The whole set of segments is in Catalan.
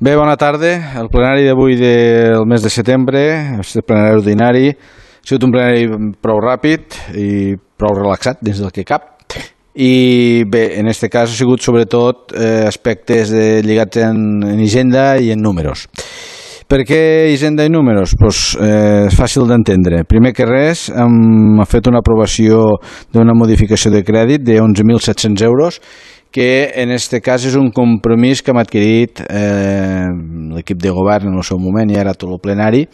Bé, bona tarda. El plenari d'avui del mes de setembre, el plenari ordinari, ha sigut un plenari prou ràpid i prou relaxat dins del que cap. I bé, en aquest cas ha sigut sobretot aspectes lligats en Hisenda i en números. Per què Hisenda i números? Pues, és fàcil d'entendre. Primer que res, hem fet una aprovació d'una modificació de crèdit de 11.700 euros, que en aquest cas és un compromís que hem adquirit l'equip de govern en el seu moment i ara tot el plenari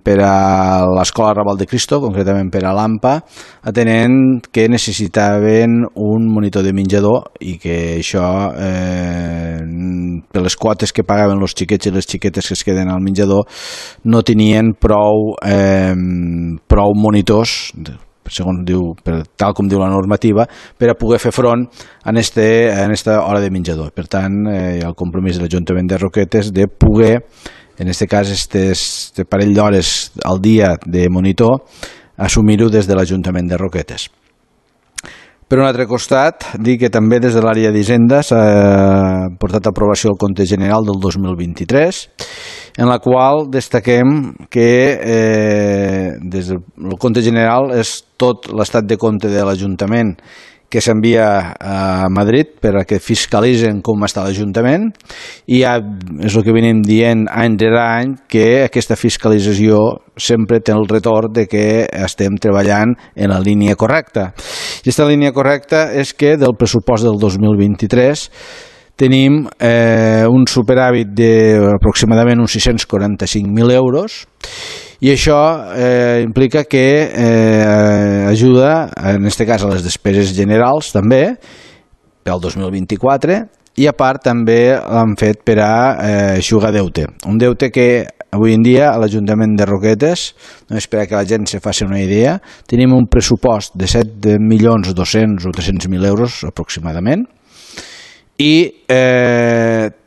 per a l'Escola Raval de Cristo, concretament per a l'AMPA, atenent que necessitaven un monitor de menjador i que això, per les quotes que pagaven els xiquets i les xiquetes que es queden al menjador, no tenien prou monitors, segons diu, tal com diu la normativa, per a poder fer front a aquesta hora de menjador. Per tant, hi ha el compromís de l'Ajuntament de Roquetes de poder, en aquest cas, este parell d'hores al dia de monitor, assumir-ho des de l'Ajuntament de Roquetes. Per un altre costat, dir que també des de l'àrea d'Hisenda s'ha portat a aprovació el compte general del 2023, en la qual destaquem que des del compte general és tot l'estat de compte de l'Ajuntament que s'envia a Madrid per a que fiscalitzen com està l'Ajuntament i ja és el que venim dient any rere any, que aquesta fiscalització sempre té el retorn de que estem treballant en la línia correcta. I aquesta línia correcta és que del pressupost del 2023 tenim un superàvit d'aproximadament uns 645.000 euros i això implica que ajuda, en aquest cas, a les despeses generals també, pel 2024, i a part també l'han fet per a eixugar deute. Un deute que avui en dia a l'Ajuntament de Roquetes, només per a que la gent se faci una idea, tenim un pressupost de 7.200.000 o 300.000 euros aproximadament, i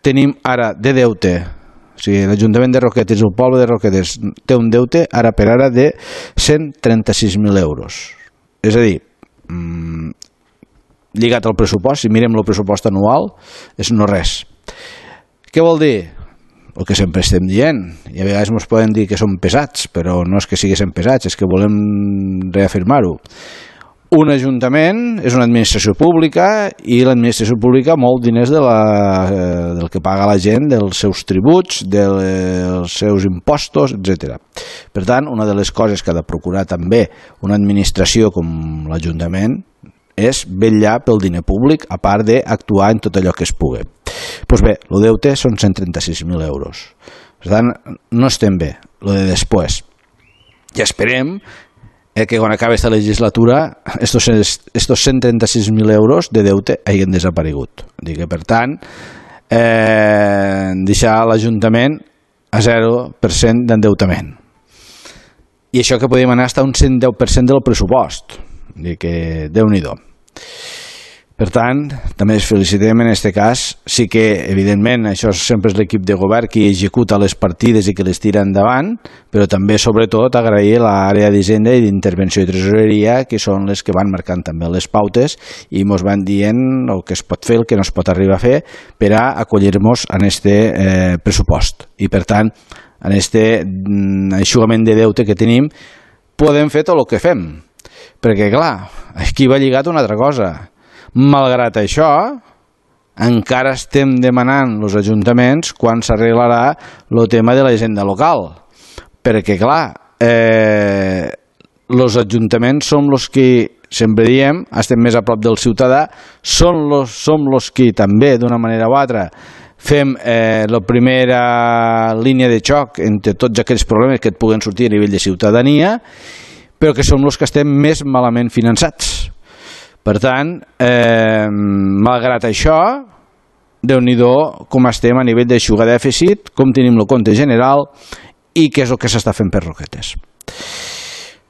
tenim ara de deute, o sigui, l'Ajuntament de Roquetes, el poble de Roquetes, té un deute ara per ara de 136.000 euros. És a dir, lligat al pressupost, si mirem el pressupost anual, és no res. Què vol dir? El que sempre estem dient, i a vegades ens poden dir que som pesats, però no és que siguéssim pesats, és que volem reafirmar-ho. Un ajuntament és una administració pública i l'administració pública mou diners del que paga la gent, dels seus tributs, dels seus impostos, etc. Per tant, una de les coses que ha de procurar també una administració com l'Ajuntament és vetllar pel diner públic, a part d'actuar en tot allò que es pugui. Doncs bé, el deute són 136.000 euros. Per tant, no estem bé, el de després. I esperem que quan acabi aquesta legislatura estos 136.000 euros de deute hagin desaparegut. Per tant, deixar l'Ajuntament a 0% d'endeutament. I això que podíem anar fins a un 110% del pressupost. Déu-n'hi-do. Per tant, també ens felicitem en aquest cas. Sí que, evidentment, això sempre és l'equip de govern qui executa les partides i que les tira endavant, però també, sobretot, agrair l'àrea d'Hisenda i d'Intervenció i Tresoreria, que són les que van marcant també les pautes i ens van dient el que es pot fer, el que no es pot arribar a fer, per a acollir-nos en aquest pressupost. I, per tant, en aquest eixugament de deute que tenim, podem fer tot el que fem. Perquè, clar, aquí va lligat una altra cosa. Malgrat això, encara estem demanant als ajuntaments quan s'arreglarà el tema de la hisenda local. Perquè, clar, els ajuntaments som els que, sempre diem, estem més a prop del ciutadà, som els que també, d'una manera o altra, fem la primera línia de xoc entre tots aquells problemes que et puguen sortir a nivell de ciutadania, però que som els que estem més malament finançats. Per tant, malgrat això, Déu-n'hi-do com estem a nivell d'eixugar dèficit, com tenim el compte general i què és el que s'està fent per Roquetes.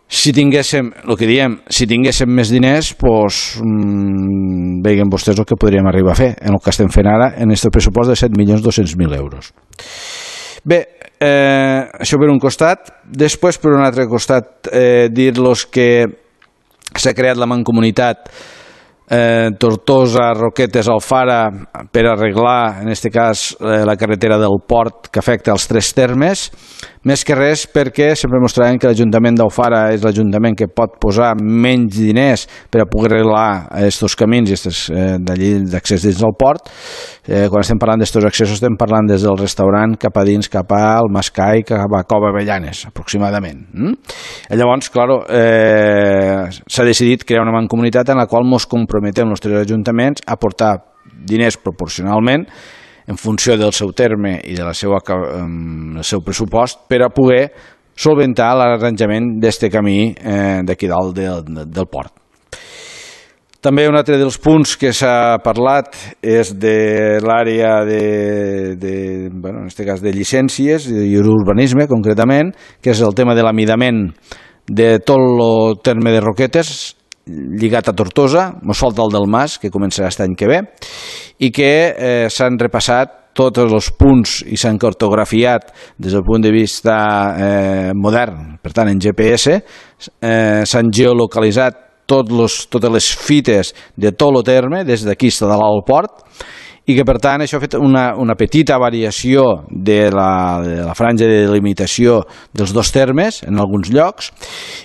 Si tinguéssim, el que diem, si tinguéssim més diners, doncs veguen vostès el que podríem arribar a fer en el que estem fent ara en aquest pressupost de 7.200.000 euros. Bé, això per un costat. Després, per un altre costat, dir-los que s'ha creat la Mancomunitat Tortosa, Roquetes, Alfara, per arreglar, en aquest cas, la carretera del port que afecta els 3 termes, més que res perquè sempre mostrarem que l'Ajuntament d'Alfara és l'Ajuntament que pot posar menys diners per a poder arreglar aquests camins i d'accés dins del port. Quan estem parlant d'estos accessos estem parlant des del restaurant cap a dins, cap al Mascai, cap a Cova Avellanes, aproximadament. Llavors, clar, s'ha decidit crear una mancomunitat en la qual ens comprometem els 3 ajuntaments a aportar diners proporcionalment en funció del seu terme i del seu pressupost per a poder solventar l'arranjament d'aquest camí d'aquí dalt del port. També un altre dels punts que s'ha parlat és de l'àrea en aquest cas de llicències i urbanisme concretament, que és el tema de l'amidament de tot el terme de Roquetes lligat a Tortosa. Ens falta el del Mas, que començarà aquest any que ve, i que s'han repassat tots els punts i s'han cartografiat des del punt de vista modern, per tant en GPS, s'han geolocalitzat totes les fites de tot el terme, des d'aquí fins a dalt al port, i que per tant això ha fet una petita variació de la franja de delimitació dels 2 termes en alguns llocs,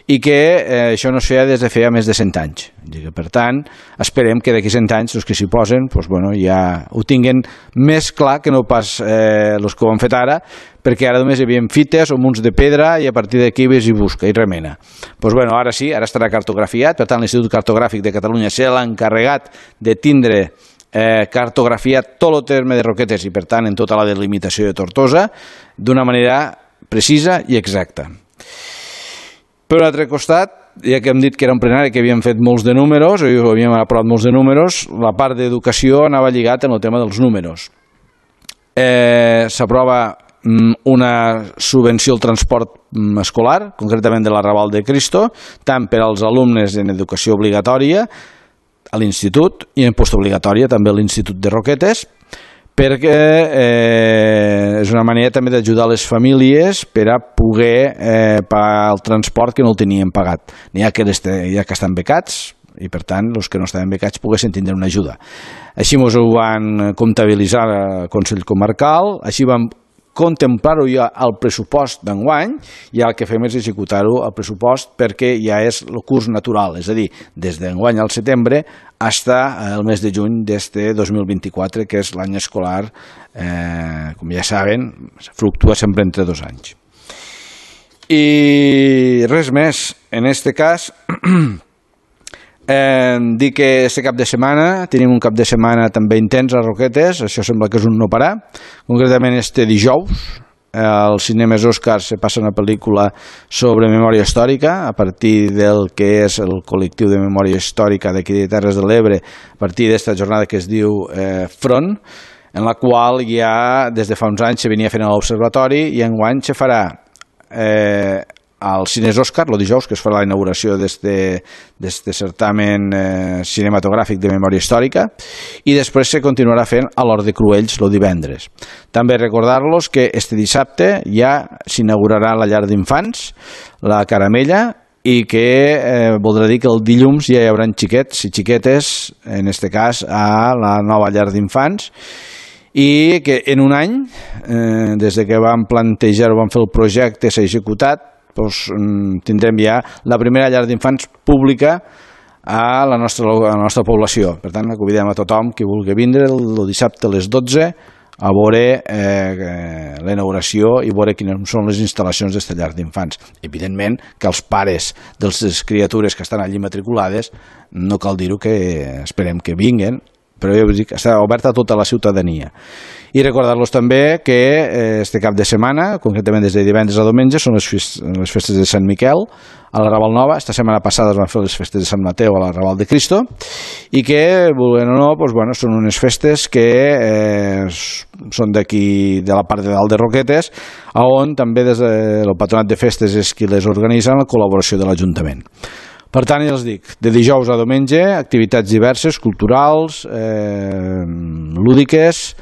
i que això no es feia des de feia més de 100 anys. Per tant, esperem que d'aquí 100 anys els que s'hi posen ja ho tinguen més clar que no pas els que ho han fet ara, perquè ara només hi havia fites o munts de pedra i a partir d'aquí ves i busca i remena. Ara sí, ara estarà cartografiat, per tant l'Institut Cartogràfic de Catalunya se l'ha encarregat de tindre cartografiat tot el terme de Roquetes i per tant en tota la delimitació de Tortosa d'una manera precisa i exacta. Per un altre costat, ja que hem dit que era un plenari que havíem fet molts de números, o havíem aprovat molts de números, la part d'educació anava lligat en el tema dels números. S'aprova una subvenció al transport escolar, concretament de l'Arrabal de Cristo, tant per als alumnes en educació obligatòria a l'institut i en postobligatòria també a l'Institut de Roquetes, perquè és una manera també d'ajudar les famílies per a poder pagar el transport que no el tenien pagat. N'hi ha que estan becats i per tant els que no estaven becats poguessin tindre una ajuda. Així ens ho van comptabilitzar al Consell Comarcal, així vam contemplar-ho ja al pressupost d'enguany i el que fem és executar-ho al pressupost perquè ja és el curs natural, és a dir, des d'enguany al setembre fins al mes de juny d'este 2024, que és l'any escolar, com ja saben, fluctua sempre entre 2 anys. I res més, en este cas dir que este cap de setmana tenim un cap de setmana també intens a Roquetes, això sembla que és un no parar, concretament este dijous als cinemes Òscar se passa una pel·lícula sobre memòria històrica a partir del que és el col·lectiu de memòria històrica d'aquí de Terres de l'Ebre, a partir d'esta jornada que es diu Front, en la qual ja des de fa uns anys se venia fent a l'Observatori i enguany se farà al Cines Òscar, el dijous, que es farà la inauguració d'este certamen cinematogràfic de memòria històrica, i després se continuarà fent a l'Hort de Cruells el divendres. També recordar-los que este dissabte ja s'inaugurarà la llar d'infants, la Caramella, i que voldrà dir que el dilluns ja hi haurà xiquets i xiquetes, en este cas a la nova llar d'infants, i que en un any, des que vam plantejar o vam fer el projecte, s'ha executat, tindrem ja la primera llar d'infants pública a la nostra població. Per tant, convidem a tothom que vulgui vindre el dissabte a les 12 a veure la inauguració i veure quines són les instal·lacions d'esta llar d'infants. Evidentment que els pares de les criatures que estan allí matriculades, no cal dir-ho, que esperem que vinguen, però ja us dic, està oberta a tota la ciutadania. I recordar-los també que este cap de setmana, concretament des de divendres a diumenge, són les festes de Sant Miquel a la Raval Nova. Esta setmana passada es van fer les festes de Sant Mateu a la Raval de Cristo i que, volent o no, són unes festes que són d'aquí, de la part de dalt de Roquetes, on també des del Patronat de Festes és qui les organitza en la col·laboració de l'Ajuntament. Per tant, ja els dic, de dijous a diumenge, activitats diverses, culturals, lúdiques,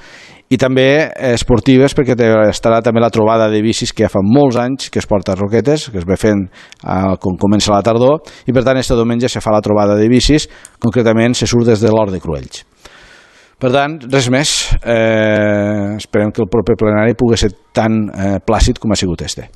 i també esportives, perquè estarà també la trobada de bicis que ja fa molts anys que es porta a Roquetes, que es ve fent quan comença la tardor, i per tant este diumenge se fa la trobada de bicis, concretament se surt des de l'Hort de Cruells. Per tant, res més, esperem que el proper plenari pugui ser tan plàcid com ha sigut este.